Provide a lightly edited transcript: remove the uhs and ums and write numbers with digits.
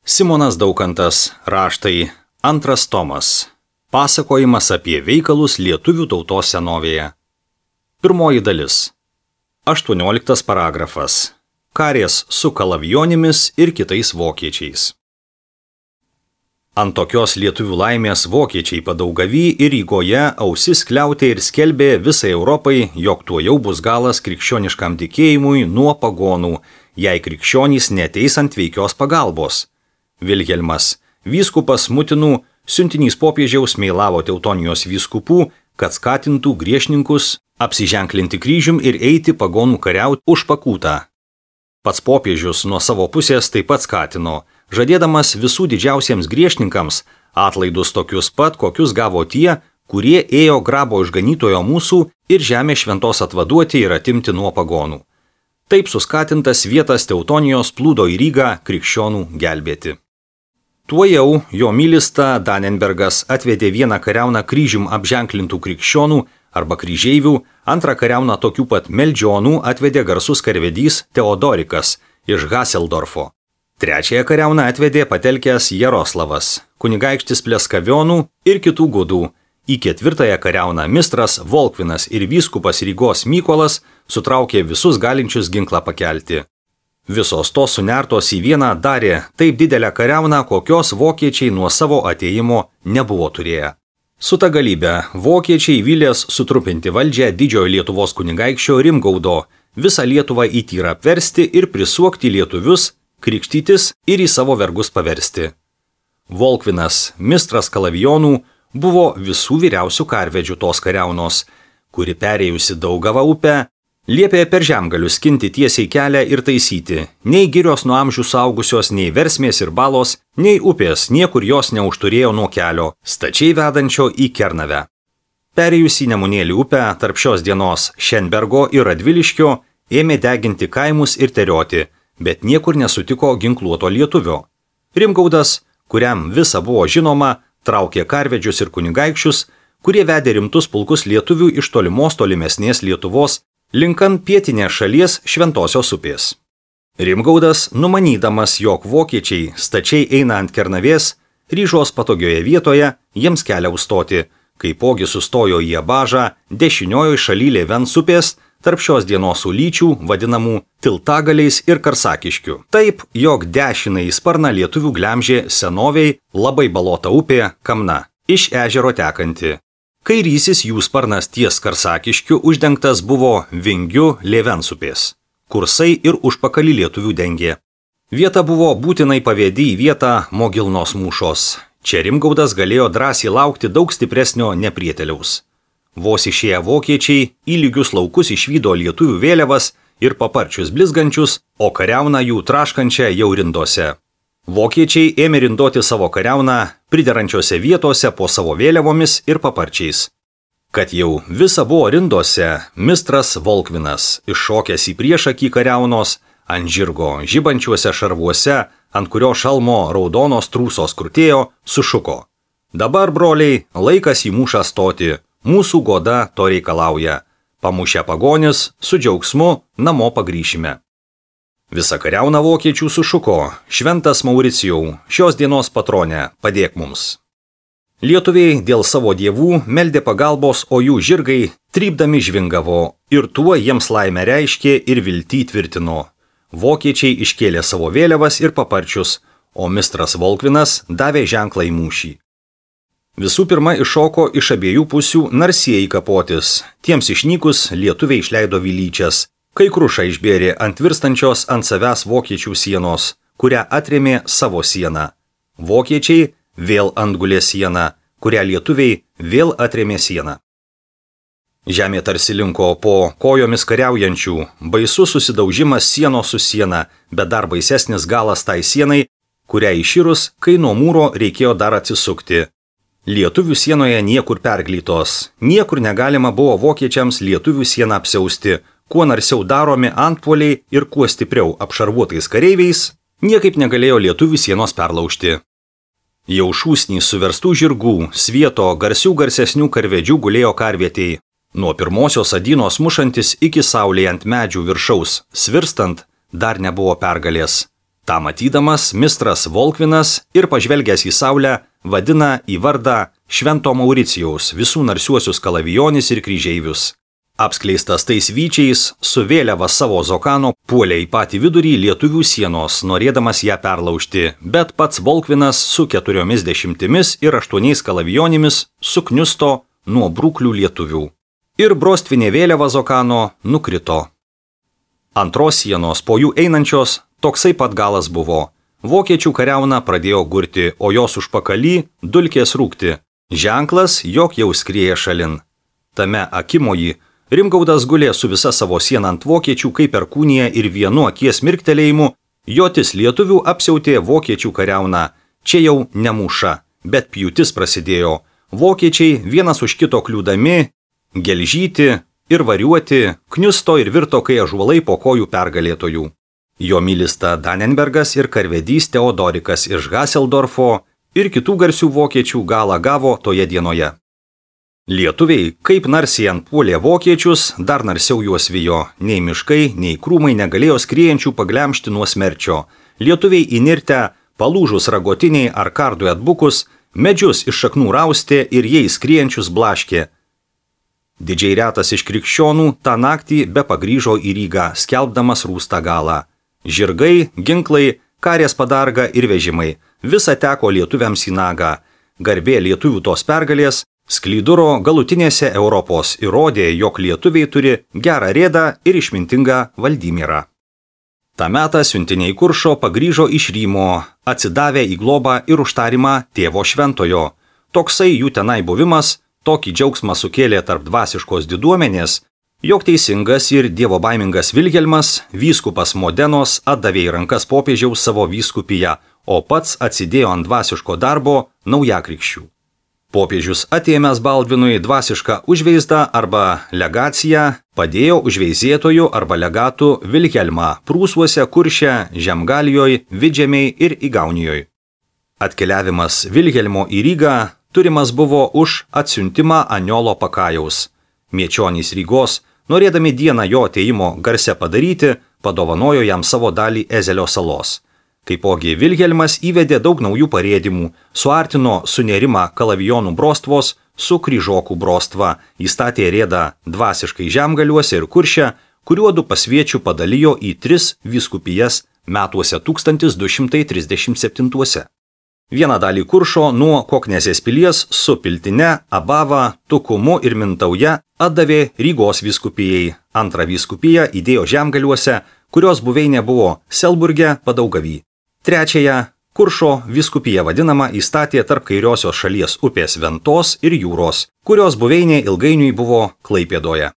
Simonas Daukantas, raštai, 2 tomas. Pasakojimas apie veikalus lietuvių tautos senovėje. 1 dalis. 18 paragrafas. Karės su kalavijonimis ir kitais vokiečiais. Ant tokios lietuvių laimės vokiečiai Padaugavy ir Rygoje ausis kliautė ir skelbė visai Europai, jog tuojau bus galas krikščioniškam tikėjimui nuo pagonų, jei krikščionys neteis ant veikios pagalbos. Vilhelmas, vyskupas Mutinų, siuntinys popiežiaus meilavo Teutonijos vyskupų, kad skatintų griežninkus apsiženklinti kryžium ir eiti pagonų kariauti už pakūtą. Pats popiežius nuo savo pusės taip pat skatino, žadėdamas visų didžiausiems griežninkams atlaidus tokius pat, kokius gavo tie, kurie ėjo grabo išganytojo mūsų ir žemė šventos atvaduoti ir atimti nuo pagonų. Taip suskatintas vietas Teutonijos plūdo į Rygą krikščionų gelbėti. Tuojau jo mylista Danenbergas atvedė vieną kariauną kryžium apženklintų krikščionų arba kryžeivių, antrą kariauną tokių pat meldžionų atvedė garsus karvedys Teodorikas iš Haseldorfo. Trečiąją kariauną atvedė patelkęs Jaroslavas, kunigaikštis Pleskavionų ir kitų gudų. Į 4 kariauną mistras Volkvinas ir vyskupas Rygos Mykolas sutraukė visus galinčius ginklą pakelti. Visos tos sunertos į vieną darė taip didelę kariauną, kokios vokiečiai nuo savo atėjimo nebuvo turėję. Su ta galybė vokiečiai vylės sutrupinti valdžią didžiojo Lietuvos kunigaikščio Rimgaudo, visą Lietuvą į tyrą apversti ir prisuokti lietuvius, krikštytis ir į savo vergus paversti. Volkvinas, mistras kalavijonų, buvo visų vyriausių karvedžių tos kariaunos, kuri perėjusi Daugavą upę, liepė per žemgalius skinti tiesiai kelią ir taisyti, nei girios nuo amžių saugusios, nei versmės ir balos, nei upės, niekur jos neužturėjo nuo kelio, stačiai vedančio į Kernavę. Perėjus į Nemunėlį upę, tarp šios dienos Šenbergo ir Radviliškio, ėmė deginti kaimus ir terioti, bet niekur nesutiko ginkluoto lietuvio. Rimgaudas, kuriam visa buvo žinoma, traukė karvedžius ir kunigaikščius, kurie vedė rimtus pulkus lietuvių iš tolimesnės Lietuvos, linkant pietinės šalies Šventosios upės. Rimgaudas, numanydamas, jog vokiečiai stačiai eina ant Kernavės, ryžos patogioje vietoje jiems kelią užstoti, kaipogi sustojo į Abažą dešiniojo šaly Lėvens upės, tarp šios dienos ulyčių, vadinamų Tiltagaliais ir Karsakiškių. Taip, jog dešinąjį sparną lietuvių glemžė senoviai labai balota upė Kamna, iš ežero tekanti. Kairysis jų sparnas ties Karsakiškiu uždengtas buvo vingiu Lėvens upės. Kursai ir užpakalį lietuvių dengė. Vieta buvo būtinai pavėdi į vietą Mogilnos mūšos. Čia Rimgaudas galėjo drąsiai laukti daug stipresnio neprieteliaus. Vos išėję vokiečiai į lygius laukus išvydo lietuvių vėliavas ir paparčius blizgančius, o kariauną jų traškančią jau rindose. Vokiečiai ėmė rindoti savo kariauną priderančiose vietose po savo vėliavomis ir paparčiais. Kad jau visa buvo rindose, mistras Volkvinas, iššokęs į priešakį kariaunos, ant žirgo žibančiuose šarvuose, ant kurio šalmo raudonos trūsos krutėjo, sušuko. Dabar, broliai, laikas į mūšą stoti, mūsų goda to reikalauja. Pamušę pagonis, su džiaugsmu namo pagrįšime. Visa kariauna vokiečių sušuko, šventas Mauricijau, šios dienos patronė, padėk mums. Lietuviai dėl savo dievų meldė pagalbos, o jų žirgai trypdami žvingavo ir tuo jiems laimę reiškė ir viltį tvirtino. Vokiečiai iškėlė savo vėliavas ir paparčius, o mistras Volkvinas davė ženklą į mūšį. Visų pirma iššoko iš abiejų pusių narsieji kapotis, tiems išnykus lietuviai išleido vilyčias. Kai kruša išbėrė ant virstančios ant savęs vokiečių sienos, kurią atrėmė savo sieną. Vokiečiai vėl antgulė sieną, kurią lietuviai vėl atrėmė sieną. Žemė tarsi linko po kojomis kariaujančių, baisus susidaužimas sienos su siena, bet dar baisesnis galas tai sienai, kurią iširus, kai nuo mūro reikėjo dar atsisukti. Lietuvių sienoje niekur perglytos, niekur negalima buvo vokiečiams lietuvių sieną apsiausti, kuo narsiau daromi antpuoliai ir kuo stipriau apšarvuotais kareiviais, niekaip negalėjo lietuvių sienos perlaužti. Jau šūsnį suverstų žirgų, svieto, garsesnių karvedžių gulėjo karvietei. Nuo pirmosios adynos mušantis iki saulėje ant medžių viršaus svirstant dar nebuvo pergalės. Ta matydamas, mistras Volkvinas ir pažvelgęs į saulę vadina į vardą Švento Mauricijaus visų narsiuosius kalavijonis ir kryžeivius. Apskleistas tais vyčiais, su vėliava savo zokano puolė į patį vidurį lietuvių sienos, norėdamas ją perlaužti, bet pats Volkvinas su 40 ir 8 kalavijonimis sukniusto nuo brūklių lietuvių. Ir brostvinė vėliava zokano nukrito. Antros sienos po jų einančios toksai pat galas buvo. Vokiečių kariauna pradėjo gurti, o jos užpakaly dulkės rūkti. Ženklas, jog jau skrieja šalin. Tame akimoji Rimgaudas gulė su visa savo siena ant vokiečių kaip perkūnija ir vienu akies mirktelėjimu, jotis lietuvių apsiautė vokiečių kariauna. Čia jau ne mūša, bet pjūtis prasidėjo. Vokiečiai vienas už kito kliūdami, gelžyti ir variuoti, kniusto ir virto kai ąžuolai po kojų pergalėtojų. Jo milista Danenbergas ir karvedys Teodorikas iš Haseldorfo ir kitų garsių vokiečių galą gavo toje dienoje. Lietuviai, kaip narsiai antpuolė vokiečius, dar narsiau juos vijo. Nei miškai, nei krūmai negalėjo skriejančių paglemšti nuo smerčio. Lietuviai įnirtę, palūžus ragotiniai ar kardui atbukus, medžius iš šaknų raustė ir jie skriejančius blaškė. Didžiai retas iš krikščionų tą naktį be pagrįžo į Rygą, skelbdamas rūstą galą. Žirgai, ginklai, karės padarga ir vežimai – visa teko lietuviams į nagą. Garbė lietuvių tos pergalės Sklyduro galutinėse Europos įrodė, jog lietuviai turi gerą rėdą ir išmintingą Valdymirą. Ta metą siuntiniai Kuršo pagrįžo iš Rymo, atsidavę į globą ir užtarimą tėvo šventojo. Toksai jų tenai buvimas tokį džiaugsmą sukėlė tarp dvasiškos diduomenės, jog teisingas ir dievobaimingas Vilhelmas, vyskupas Modenos, atdavė į rankas popiežiaus savo vyskupiją, o pats atsidėjo ant dvasiško darbo naujakrikščių. Popiežius atėmęs Baldvinui dvasišką užveizdą arba legaciją, padėjo užveizėtojų arba legatų Vilhelmą Prūsuose, Kurše, Žemgalijoj, Vidžemiai ir Igaunijoj. Atkeliavimas Vilhelmo į Rygą turimas buvo už atsiuntimą Aniolo Pakajaus. Miečionys Rygos, norėdami dieną jo atėjimo garse padaryti, padovanojo jam savo dalį Ezelio salos. Taipogi Vilhelmas įvedė daug naujų parėdimų, suartino sunerimą kalavijonų brostvos su kryžokų brostva, įstatė rėdą dvasiškai Žemgaliuose ir Kurše, kuriuodu pasviečių padalijo į 3 vyskupijas metuose 1237. Vieną dalį Kuršo nuo Koknesės pilies su Piltine, Abava, Tukumu ir Mintauja atdavė Rygos vyskupijai. Antrą vyskupiją įdėjo Žemgaliuose, kurios buveinė buvo Selburge Padaugavy. Trečiąją Kuršo vyskupiją vadinamą įstatė tarp kairiosios šalies upės Ventos ir jūros, kurios buveinė ilgainiui buvo Klaipėdoje.